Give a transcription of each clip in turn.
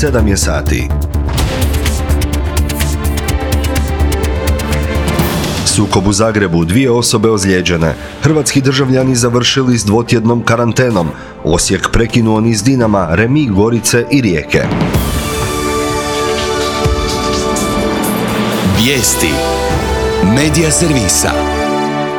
7 je sati. Sukob u Zagrebu, 2 osobe ozlijeđene. Hrvatski državljani završili s 2-tjednom karantenom. Osijek prekinuo niz Dinama, remi Gorice i Rijeke. Vijesti Medija servisa.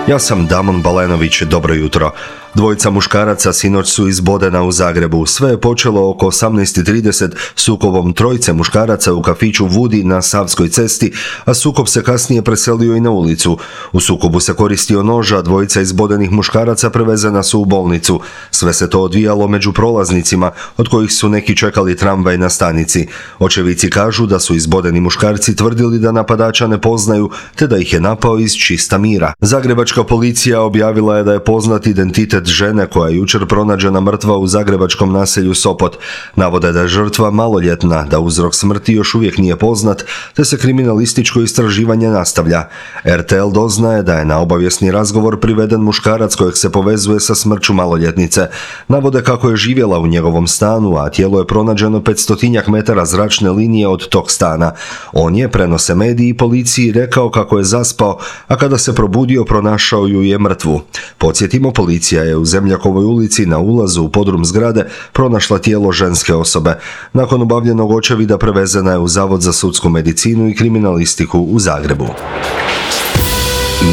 Ja sam Damon Balenović, dobro jutro. 2 muškaraca sinoć su izbodena u Zagrebu. Sve je počelo oko 18:30 sukobom 3 muškaraca u kafiću Vudi na Savskoj cesti, a sukob se kasnije preselio i na ulicu. U sukobu se koristio nož, a 2 izbodenih muškaraca prevezena su u bolnicu. Sve se to odvijalo među prolaznicima, od kojih su neki čekali tramvaj na stanici. Očevici kažu da su izbodeni muškarci tvrdili da napadača ne poznaju, te da ih je napao iz čista mira. Zagrebačka policija objavila je da je poznat identitet žene koja je jučer pronađena mrtva u zagrebačkom naselju Sopot. Navode da je žrtva maloljetna, da uzrok smrti još uvijek nije poznat, te se kriminalističko istraživanje nastavlja. RTL doznaje da je na obavijesni razgovor priveden muškarac kojeg se povezuje sa smrću maloljetnice. Navode kako je živjela u njegovom stanu, a tijelo je pronađeno 500 metara zračne linije od tog stana. On je, prenose mediji, policiji rekao kako je zaspao, a kada se probudio pronašao ju je mrtvu. Podsjetimo, policija je u Zemljakovoj ulici na ulazu u podrum zgrade pronašla tijelo ženske osobe. Nakon obavljenog očevida prevezena je u Zavod za sudsku medicinu i kriminalistiku u Zagrebu.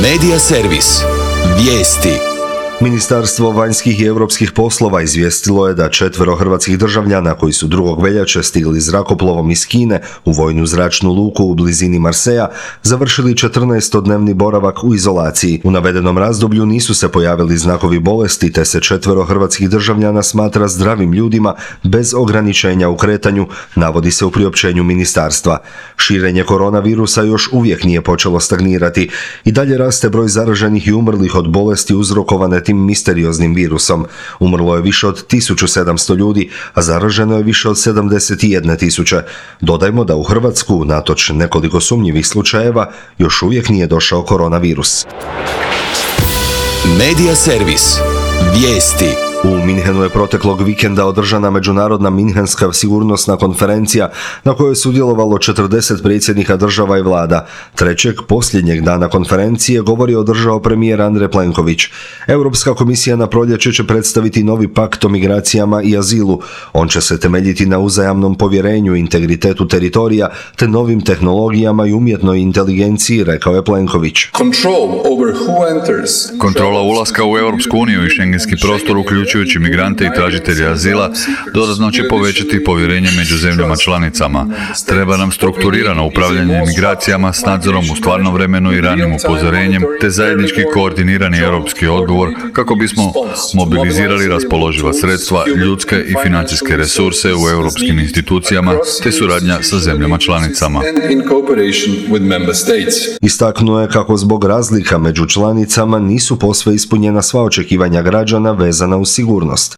Medija servis. Vijesti. Ministarstvo vanjskih i europskih poslova izvijestilo je da 4 hrvatskih državljana koji su 2. veljače stigli zrakoplovom iz Kine u vojnu zračnu luku u blizini Marseja završili 14-dnevni boravak u izolaciji. U navedenom razdoblju nisu se pojavili znakovi bolesti, te se 4 hrvatskih državljana smatra zdravim ljudima bez ograničenja u kretanju, navodi se u priopćenju ministarstva. Širenje koronavirusa još uvijek nije počelo stagnirati. I dalje raste broj zaraženih i umrlih od bolesti uzrokovane tim misterioznim virusom. Umrlo je više od 1700 ljudi, a zaraženo je više od 71.000. Dodajmo da u Hrvatsku, natoč nekoliko sumnjivih slučajeva, još uvijek nije došao koronavirus. Medija servis. Vijesti. U Minhenu je proteklog vikenda održana međunarodna Minhenska sigurnosna konferencija na kojoj je sudjelovalo 40 predsjednika država i vlada. 3. posljednjeg dana konferencije govor je održao premijer Andrej Plenković. Europska komisija na proljeće će predstaviti novi pakt o migracijama i azilu. On će se temeljiti na uzajamnom povjerenju, integritetu teritorija te novim tehnologijama i umjetnoj inteligenciji, rekao je Plenković. Kontrola ulaska u Europsku uniju i šengenski prostor uključujući migrante i tražitelje azila dodatno će povećati povjerenje među zemljama članicama. Treba nam strukturirano upravljanje migracijama s nadzorom u stvarnom vremenu i ranim upozorenjem, te zajednički koordinirani europski odgovor kako bismo mobilizirali raspoloživa sredstva, ljudske i financijske resurse u europskim institucijama, te suradnja sa zemljama članicama. Istaknuo je kako zbog razlika među članicama nisu posve ispunjena sva očekivanja građana vezana uz sigurnost.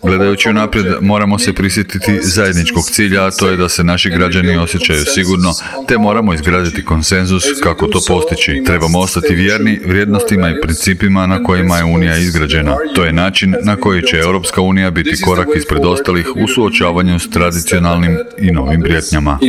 Gledajući unaprijed, moramo se prisjetiti zajedničkog cilja, a to je da se naši građani osjećaju sigurno, te moramo izgraditi konsenzus kako to postići. Trebamo ostati vjerni vrijednostima i principima na kojima je Unija izgrađena. To je način na koji će Europska unija biti korak ispred ostalih u suočavanju s tradicionalnim i novim prijetnjama.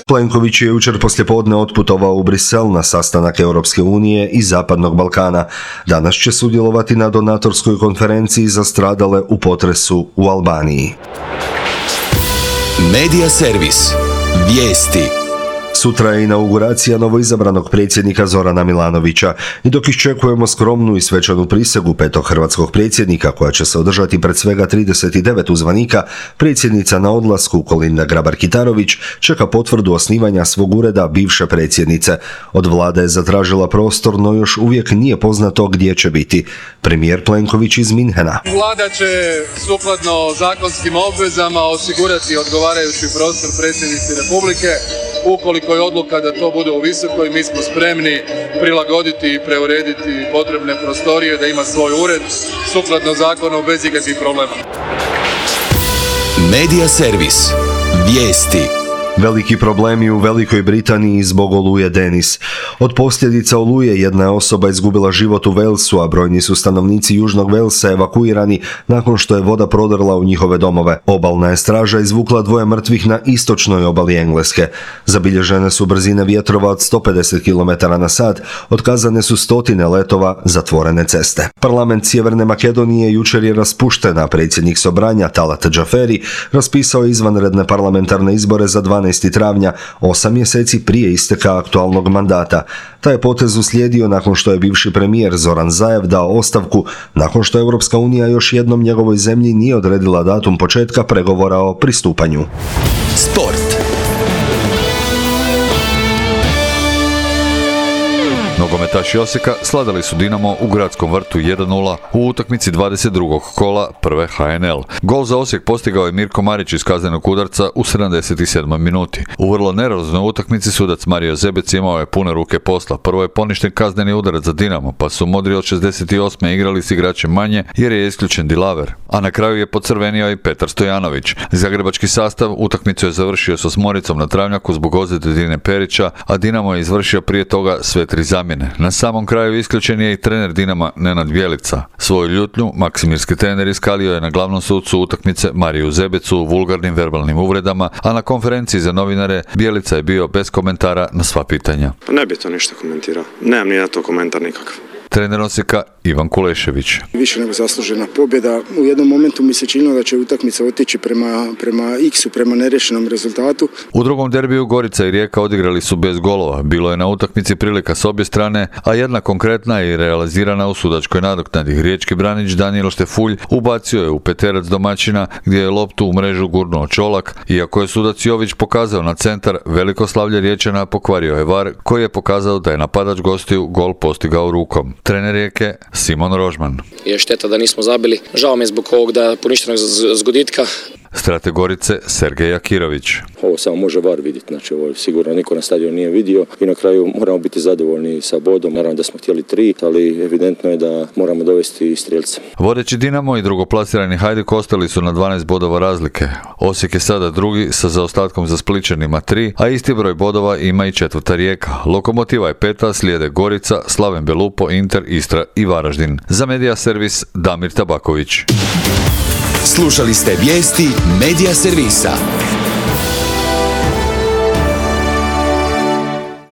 Plenković je jučer poslijepodne otputovao u Brisel na sastanak Europske unije i Zapadnog Balkana. Danas će sudjelovati na donatorskoj konferenciji za stradale u potresu u Albaniji. Medija servis. Vijesti. Sutra je inauguracija novoizabranog predsjednika Zorana Milanovića i dok iščekujemo skromnu i svečanu prisegu 5. hrvatskog predsjednika koja će se održati pred svega 39 uzvanika, predsjednica na odlasku Kolinda Grabar-Kitarović čeka potvrdu osnivanja svog ureda bivše predsjednice. Od vlade je zatražila prostor, no još uvijek nije poznato gdje će biti. Premijer Plenković iz Minhena. Vlada će sukladno zakonskim obvezama osigurati odgovarajući prostor predsjednici Republike. Ukoliko je odluka da to bude u Visokoj, mi smo spremni prilagoditi i preurediti potrebne prostorije da ima svoj ured sukladno zakonu bez ikakvih problema. Medija servis. Vijesti. Veliki problemi u Velikoj Britaniji zbog oluje Denis. Od posljedica oluje jedna je osoba izgubila život u Walesu, a brojni su stanovnici Južnog Walesa evakuirani nakon što je voda prodrla u njihove domove. Obalna je straža izvukla 2 mrtvih na istočnoj obali Engleske. Zabilježene su brzine vjetrova od 150 km/h, otkazane su stotine letova, zatvorene ceste. Parlament Sjeverne Makedonije jučer je raspušten, a predsjednik Sobranja Talat Džaferi raspisao izvanredne parlamentarne izbore za 12. travnja, 8 mjeseci prije isteka aktualnog mandata. Taj je potez uslijedio nakon što je bivši premijer Zoran Zaev dao ostavku, nakon što Europska unija još jednom njegovoj zemlji nije odredila datum početka pregovora o pristupanju. Sport. Nogometaši Osijeka sladali su Dinamo u Gradskom vrtu 1:0 u utakmici 22. kola prve HNL. Gol za Osijek postigao je Mirko Marić iz kaznenog udarca u 77. minuti. U vrlo nervoznoj utakmici sudac Mario Zebec imao je pune ruke posla. Prvo je poništen kazneni udarac za Dinamo, pa su modri od 68. igrali s igračem manje jer je isključen Dilaver. A na kraju je pocrvenio i Petar Stojanović. Zagrebački sastav utakmicu je završio s 8 na travnjaku zbog ozljede Dine Perića, a Dinamo je izvršio prije toga sve 3 zamjene. Na samom kraju isključen je i trener Dinama Nenad Bjelica. Svoju ljutnju maksimirski trener iskalio je na glavnom sucu utakmice Mariju Zebecu vulgarnim verbalnim uvredama, a na konferenciji za novinare Bjelica je bio bez komentara na sva pitanja. Pa ne bi to ništa komentirao. Nemam ni na to komentar nikakav. Trener Osijeka Ivan Kulešević. Više nego zaslužena pobjeda. U jednom momentu mi se činilo da će utakmica otići prema X-u, prema nerešenom rezultatu. U drugom derbiju Gorica i Rijeka odigrali su bez golova. Bilo je na utakmici prilika s obje strane, a jedna konkretna i realizirana u sudačkoj nadoknadi. Riječki branič Danijel Štefulj ubacio je u peterac domaćina gdje je loptu u mrežu gurnuo Čolak, iako je sudac Jović pokazao na centar, veliko slavlje Riječana pokvario je VAR koji je pokazao da je napadač gostiju gol postigao rukom. Trener Rijeke Simon Rožman. Je šteta da nismo zabili. Žao mi je zbog ovog da poništenog zgoditka. Strateg Gorice Sergej Akirović. Ovo samo može VAR vidjeti, znači ovo sigurno niko na stadionu nije vidio i na kraju moramo biti zadovoljni sa bodom. Naravno da smo htjeli 3, ali evidentno je da moramo dovesti strijelce. Vodeći Dinamo i drugoplasirani Hajduk ostali su na 12 bodova razlike. Osijek je sada drugi sa zaostatkom za Splićanima 3, a isti broj bodova ima i četvrta Rijeka. Lokomotiva je 5, slijede Gorica, Slaven Belupo, Inter, Istra i Varaždin. Za Medija servis Damir Tabaković. Slušali ste vijesti Medija servisa.